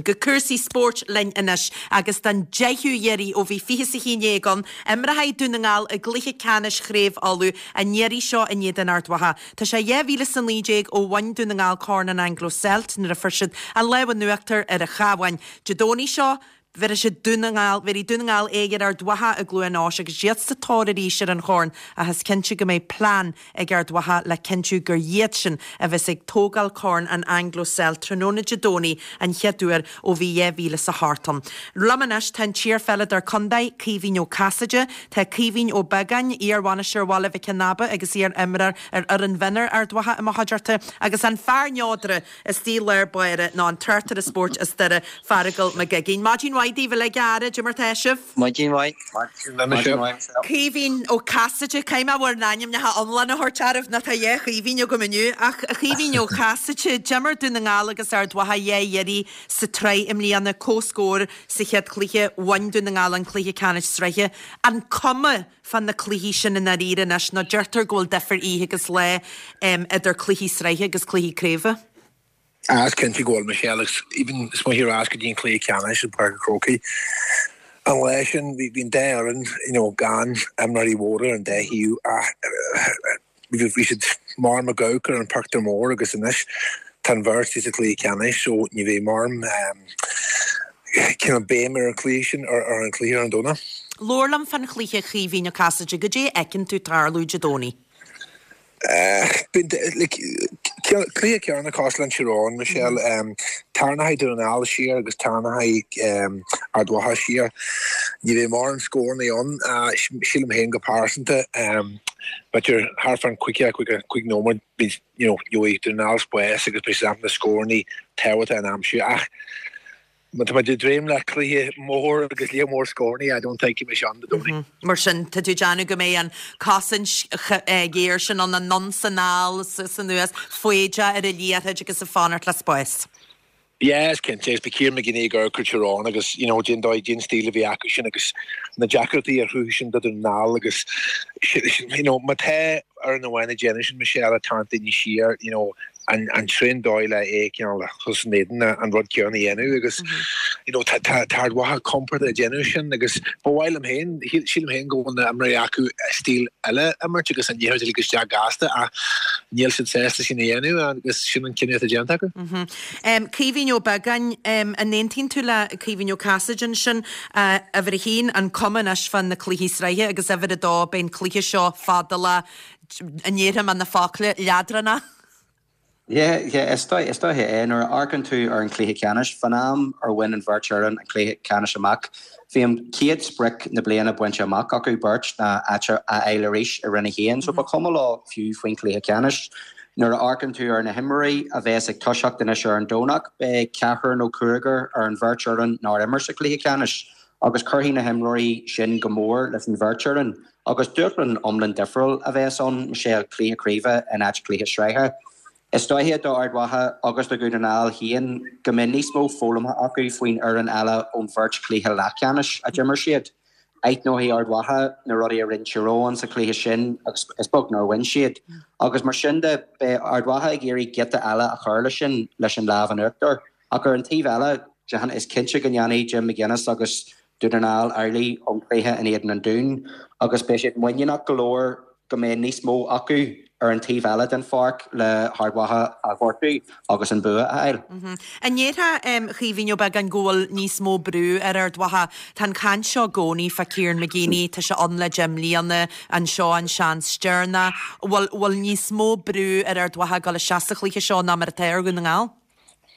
Go cúrsaí spóirt linn anois agus don deichiú iarraidh ó bhí 20 is 11 ann, imreoidh Dún na nGall i gcluiche ceannais Chraobh Uladh, an iarraidh seo in éadan Ard Mhacha. Tá sé 2019 ó bhain Dún na nGall Corn an Anglo Celt nuair a fuair siad an lámh in uachtar ar an Chabhán. Dé Domhnaigh seo, Bhéarfaidh siad Dún na nGall, bhéarfaidh Dún na nGall aghaidh ar Ard Mhacha i gCluain Eois agus iad sa tóir arís ar an chorn ach is cinnte go mbeidh plean ag Ard Mhacha le cinntiú gur iadsan a bheas ag tógáil corn an Anglo Celt tráthnóna Dé Domhnaigh an chéad uair ó bhí 2008 ann. Liom anois tá an t-iarpheileadóir contae, Caoimhín Ó Casaide, tá Caoimhín Ó Beagáin, iar-bhainisteoir Bhaile Mhic an Aba agus iar-imreoir ar fhoireann mhionúir Ard Mhacha i mo chuideachta agus an fear neodraithe Istigh i lár báire ná an tráchtaire spóirt as Doire, Feargal Mac Uiginn. Maidin mhaith daoibh uilig, a fheara, cad é mar tá sibh? Maidin mhaith. Maidin mhaith. Caoimhín Ó Casaide, caithfidh mé bhur n-ainmneacha iomlána a thabhairt oraibh nó tá dhá Chaoimhín agam inniu. Ach a Chaoimhín Ó Casaide, d'imir Dún na nGall agus Ard Mhacha dhá iarraidh sa tsraith i mbliana, comhscór sa chéad chluiche, bhain Dún na nGall an cluiche ceannais sraithe. An cuma fá na cluichí sin i ndáiríre anois, nó deirtear go bhfuil difear oíche agus lá idir cluichí sraithe agus cluichí craoibhe. Ah, is cinnte go bhfuil, Michelle, agus even smaoinigh ar ais go dtí an cluiche ceannais i bPáirc an Chrócaigh an lá sin, bhí an dá fhoireann, you know, gan imreoirí mhóra ar an dá thaobh ach Bhí siad mar McGurk ar an pictiúr mór agus anois tá an bheirt sa chluiche ceannais so ní bheidh mórán cineál béim ar an chluiche sin ar an chluiche ar an Domhnach. Labhair liom fán chluiche Chaoimhín Ó Casaide, goidé a fheiceann tú tarlú Dé Domhnaigh? Cluiche ceannann cosúil le Tír Eoghain, Michelle. Tarraingeoidh Dún na nGall siar agus tarraingeoidh Ard Mhacha siar. Ní bheidh mórán scóranna ann, sílim féin go pearsanta. B'fhéidir thart fán 55 nóiméad, you know, gheobhaidh Dún na nGall spás agus beidh siad ábalta na scóranna tábhachtacha a aimsiú. Ach má tá muid ag dréim le cluiche mór agus lear mór scóranna, I don't think go mbeidh sé ann Dé Domhnaigh. Mar sin, tá tú ag déanamh go mbeidh an cosaint ghéar sin ann, anonn 's anall is anuas, foighdeach ar an liathróid agus ag fanacht le spás. Yeah, is cinnte, agus beidh Kieran McGeeney ag amharc ar Tír Eoghain agus, you know, cén dóigh, cén stíl a bhí acu sin agus na deacrachtaí a chruthaigh sin do Dhún na nGall agus, you know, má tá foireann amháin ag déanamh sin, Michelle, ag tarraingt daoine siar, you know, an an tríú dóigh le é cineál a chur san éadan ná an rud céanna a dhéanamh agus you know tá tá tá Ard Mhacha compordach ag déanamh sin agus ba mhaith liom féin, sílim féin go bhfuil na imreoirí acu stíl eile a imirt agus an liathróid a ligean isteach gasta ach níl siad sásta sin a dhéanamh agus sin an cinneadh atá déanta acu. Caoimhín Ó Beagáin, an aontaíonn tú le Caoimhín Ó Casaide ansin? Uimhir a haon, an cuma anois fá na cluichí sraithe agus uimhir a dó, beidh an cluiche seo fadálach, an ndéarfaidh mé na focla, leadránach. Yeah, yeah, is dóigh, is dóiche é. Nuair a amharcann tú ar an chluiche ceannais, fán am ar bhain an bheirt fhoireann an cluiche ceannais amach, bhí an chéad sprioc na bliana bainte amach acu beirt, ná áit a fháil arís i Roinn 1, so ba chuma leo fiú faoin chluiche ceannais. Nuair a amharcann tú ar na himreoirí a bheas ag toiseacht anois ar an Domhnach, beidh ceathrar nó cúigear ar an bheirt fhoireann nár imir sa chluiche ceannais agus cuirfidh na himreoirí sin go mór leis an bheirt fhoireann. Agus dúshlán iomlán difriúil a bheas ann, Michelle, cluiche craoibhe in áit cluiche sraithe. Is dóiche do Ard Mhacha agus do Dhún na nGall féin go mbeidh níos mó foghlamtha acu faoin fhoireann eile ón bheirt chluiche leathcheannais a d'imir siad. Aithneoidh Ard Mhacha na rudaí a rinne Tír Eoghain sa chluiche sin agus is beag nár bhain siad. Agus mar sin de, beidh Ard Mhacha ag iarraidh giota eile a chur leis sin leis an lámh in uachtar. Ach ar an taobh eile, is cinnte go ndéanfaidh Jim McGuinness agus Dún na nGall amhlaidh ón chluiche in éadan an Dúin agus beidh siad muiníneach go leor go mbeidh níos mó acu ar an taobh eile den pháirc le hArd Mhacha a ghortú agus an bua a fháil. An ndéarfá, a Chaoimhín Ó Beagáin, go bhfuil níos mó brú ar Ard Mhacha? Tá an chaint seo i gcónaí fá Kieran McGeeney, tá sé ann le 10 mbliana, an seo an seans deireanach. Bhfuil bhfuil níos mó brú ar Ard Mhacha ag dul isteach sa chluiche seo ná mar atá ar Dhún na nGall?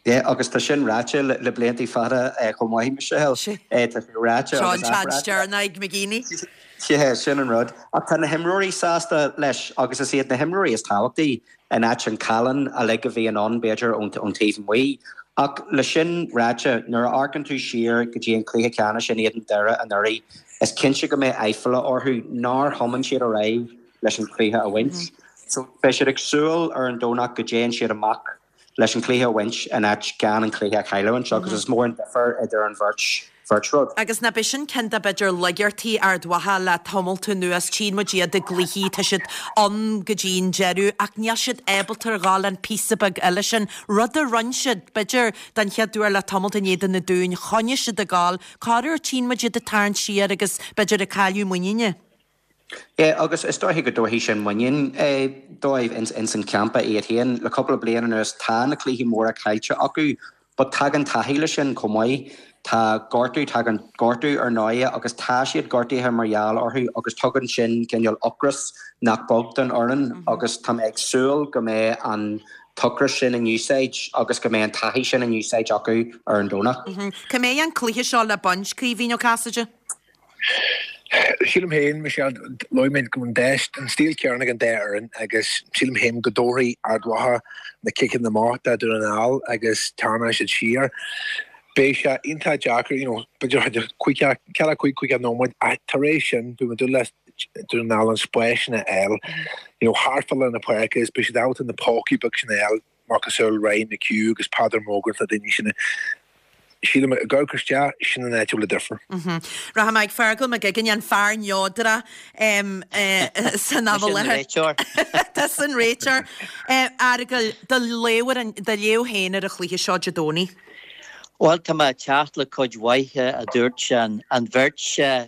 Yeah, agus tá sin ráite le blianta fada chomh maith, Michelle. Tá sé ráite Seo an agus seans athráite. deireanach ag McGeeney. Yeah, sin an rud. Ach tá na himreoirí sásta leis agus is iad na himreoirí is tábhachtaí in áit an callán uilig a bhíonn ann, b'fhéidir, ón taobh amuigh. Ach le sin ráite, nuair a amharcann tú siar go dtí an cluiche ceannais in éadan Doire anuraidh, is cinnte go mbeidh aiféala orthu nár thiomáin siad ar aghaidh leis an chluiche a bhaint. So beidh siad ag súil ar an Domhnach go dtéann siad amach. leis an chluiche a bhaint in áit gan an cluiche a chailliúint agus is mór an difear idir an bheirt bheirt rud. Agus nach b'é sin ceann de b'fhéidir laigeartaí Ard Mhacha le tamalt anuas, tchíonn muid iad i gcluichí, tá siad ann go dtí an deireadh ach níl siad ábalta a ghabháil an píosa beag eile sin, rud a rinne siad, b'fhéidir, den chéad uair le tamalt in éadan na Dúin, choinnigh siad ag gabháil, corruair tchíonn muid iad ag tarraingt siar agus b'fhéidir ag cailleadh muiníne. Yeah, agus is dóiche go dtabharfaidh sin muinín dóibh ins an champa iad féin. Le cúpla bliain anuas tá na cluichí móra caillte acu but tagann taithí leis sin chomh maith. Tá gortú, tagann gortú ar ndóighe agus tá siad gortaithe mar gheall orthu agus tugann sin cineál ocras nach beag don fhoireann agus tá mé ag súil go mbeidh an t-ocras sin in úsáid agus go mbeidh an taithí sin in úsáid acu ar an Domhnach. Cá mbeidh an cluiche seo le baint, Caoimhín Ó Casaide? Sílim féin, Michelle, luaigh mé go bhfuil an dá, an stíl céanna ag an dá fhoireann agus sílim féin go dtabharfaidh Ard Mhacha na ciceanna amach do Dhún na nGall agus tarraingeoidh siad siar. Beidh sé iontach deacair, you know, b'fhéidir 45, 50 nóiméad ach tar éis sin beidh muid ag dúil le Dún na nGall an spás sin a fháil, you know, thart fá lár na páirce agus beidh siad ábalta na pócaí beag sin a fháil. Macasamhail Ryan McHugh agus Peadar Mogan na daoine sin sílim ag amharc isteach, sin an áit a bhfuil an difear. Rachaidh mé ag Fergal McGuigan, an fear neodrach san am i láthair. Mise an réiteoir. Tusa an réiteoir. A Fheargail, do léamh ar an, do léamh féin ar an chluiche seo Dé Domhnaigh. Bhuel, tá mé ag teacht le cuid mhaith a dúirt an bheirt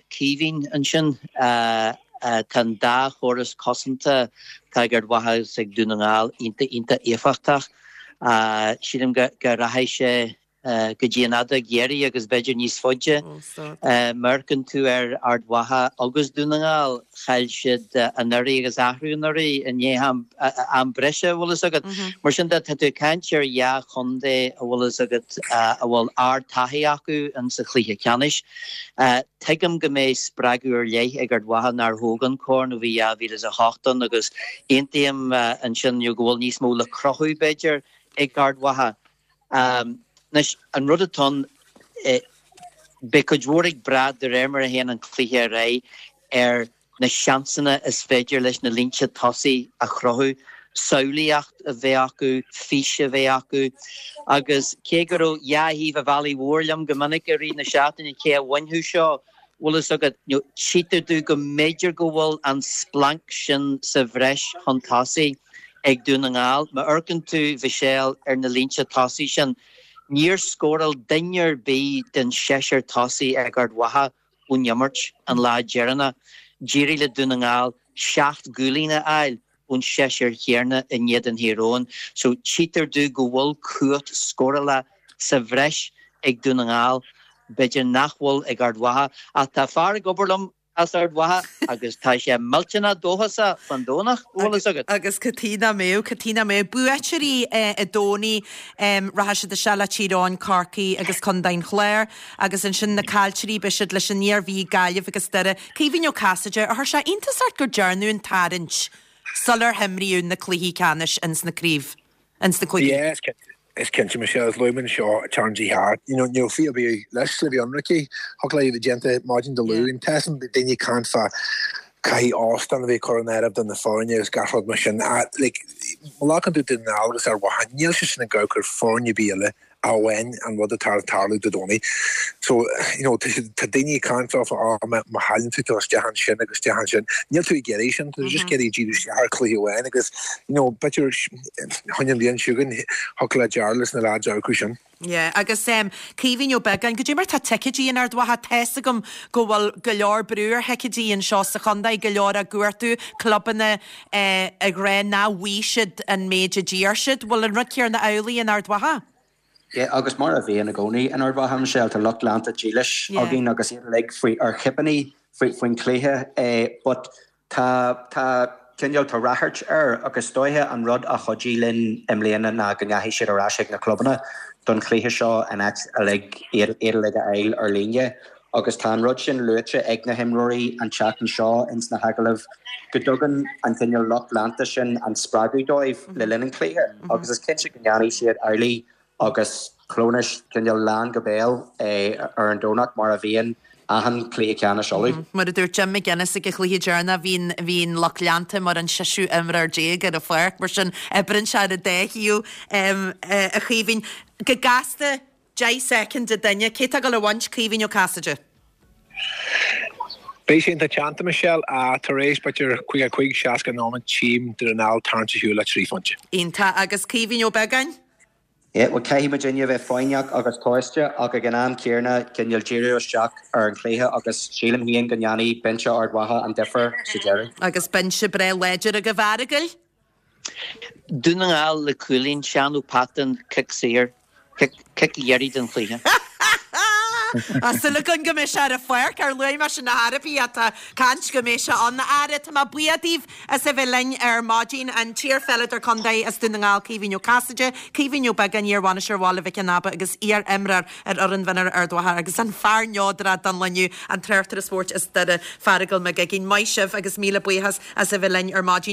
Caoimhín ansin. Tá an dá chóras cosanta atá ag Ard Mhacha agus ag Dún na nGall iontach, iontach éifeachtach. Sílim go rachaidh sé go dtí an fheadóg dheiridh agus b'fhéidir níos faide. Má amharcann tú ar Ard Mhacha agus Dún na nGall, chaill siad anuraidh agus athrú anuraidh i ndiaidh am breise, an bhfuil fhios agat. Mar sin de, tá tú ag caint ar dhá chontae, a bhfuil fhios agat, a bhfuil ard-taithí acu in sa chluiche ceannais. Tuigim go mbeidh spreagadh ar leith ag Ard Mhacha nár thóg an corn ó bhí 2008 ann agus aontaím ansin go bhfuil níos mó le cruthú, b'fhéidir, ag Ard Mhacha. Anois, an rud atá ann, beidh cuid mhór ag brath de réir mar a théann an cluiche ar aghaidh ar na seansanna is féidir leis na línte tosaigh a chruthú, samhlaíocht a bheith acu, fís a bheith acu agus cé go raibh dhá thaobh an bhealaigh mhóir liom go minic i rith na seachtaine cé a bhainfeadh seo, bhfuil fhios agat, nó tchítear domh go mb'fhéidir go bhfuil an splanc sin sa bhreis chun tosaigh ag Dún na nGall. Má amharcann tú, Mhichelle, ar na línte tosaigh sin, níor scóráil duine ar bith den seisear tosaí ag Ard Mhacha ón imirt an lá deireanach. D'éirigh le Dún na nGall 7 gcúilín a fháil ón seisear chéanna in éadan Thír Eoghain so tchítear domh go bhfuil cumhacht scórála sa bhreis ag Dún na nGall, b'fhéidir nach bhfuil ag Ard Mhacha. Ach tá fear ag obair liom as Ard Mhacha agus tá sé millteanach dóchasach fán Domhnach, an bhfuil fhios agat. Agus cad chuige nach mbeadh, cad chuige nach mbeadh. Buaiteoirí an Domhnaigh, rachaidh siad isteach le Tír Eoghain, Corcaigh agus Contae an Chláir. Agus ansin na caillteoirí, beidh siad leis an Iarmhí, Gaillimh agus Doire. Caoimhín Ó Casaide, ar chuir sé iontas ort gur dearnadh an tarraingt sular himríodh na cluichí ceannais ins na craobh, ins na cúigí? Yeah, is cinnte, Michelle, is luaigh muid anseo tarraingtí thart. You know, ní raibh fiú ar bith leis le bheith ionraic. Thiocfadh léi a bheith déanta maidin Dé Luain. Tá san daoine ag caint fá caithfidh óstán a bheith curtha in áirithe do na foirne agus gach rud mar sin. Like, má ghlacann tú Dún na nGall agus Ard Mhacha, níl sé sin ag amharc ar foirne ar bith eile amháin an rud atá ag tarlú Dé Domhnaigh. So, you know, tá siad, tá daoine ag caint leofa, oh, má, má chailleann tú, tá isteach ansin agus isteach ansin. Níl tú ag iarraidh sin, tá tú just ag iarraidh díriú isteach ar chluiche amháin agus, you know, b'fhéidir, chun an bhliain seo chugainn, thiocfadh le Jarlath is na lads amharc air sin. Yeah, agus em, Caoimhín Ó Beagáin, goidé mar tá ticéidí in Ard Mhacha, tá's agam go bhfuil go leor brú ar thicéidí anseo sa chontae, go leor á gcuartú, clubanna eh, ag rá nach bhfaighidh siad an méid a d'iarr siad. Bhfuil an rud céanna amhlaidh in Ard Mhacha? Yeah, agus mar a bhíonn i gcónaí in Ard Mhacha, Michelle, tá lucht leanta dílis Yeah. againn agus iad uilig faoi ar chipíní faoi faoin chluiche eh, but tá tá cineál tá ráchairt air agus is dóiche an rud a chuidigh linn i mbliana ná go ndeachaigh siad ar ais ag na clubanna don chluiche seo in áit uilig iad iad uilig a fháil ar líne. Agus tá an rud sin luaite ag na himreoirí an tseachtain seo ins na hagallaimh, go dtugann an cineál lucht leanta sin an spreagadh dóibh le linn an chluiche agus is cinnte go ndéanfaidh siad amhlaidh agus Clónis cineál lán go béal ar an Domhnach mar a bhíonn. achan chluiche ceannais Uladh. Mar a dúirt Jim McGuinness ag an chluiche deireanach, bhí an, bhí an lucht leanta mar an seisiú imreoir déag ar an pháirc, mar sin oibreann sé ar an dá thaobh, a Chaoimhín. Go gasta, 10 soicind an duine, cé tá ag dul a bhaint, Caoimhín Ó Casaide? Beidh sé iontach teannta, Michelle, ach tar éis b'fhéidir 55, 60 nóiméad, tchím Dún na nGall tarraingt ar shiúl le 3 phointe. Iontach. Agus Caoimhín Ó Beagáin? Yeah, bhuel caithfidh muidinne a bheith foighneach agus tomhaiste ach ag an am céanna cineál díriú isteach ar an chluiche agus sílim féin go ndéanfaidh binse Ard Mhacha an difear sa deireadh. Agus binse breá láidir agaibh a Fhearghail. Dún na nGall le cúilín, Seán Ó Peatáin, cic saor. Cic dheiridh den chluiche. Tá súil againn go mbeidh sé ar an pháirc, ar luaigh mé sin ar chor ar bith, tá caint go mbeidh sé ann. A fheara, tá mé buíoch daoibh as a bheith linn ar maidin. An t-iar-pheileadóir contae as Dún na nGall, Caoimhín Ó Casaide, Caoimhín Ó Beagáin, iar-bhainisteoir Bhaile Mhic an Aba agus iar-imreoir ar fhoireann mhionúir Ard Mhacha agus an fear neodrach don lá inniu, an tráchtaire spóirt as Doire, Feargal Mac Uiginn. Maith sibh agus míle buíochas as a bheith linn ar maidin.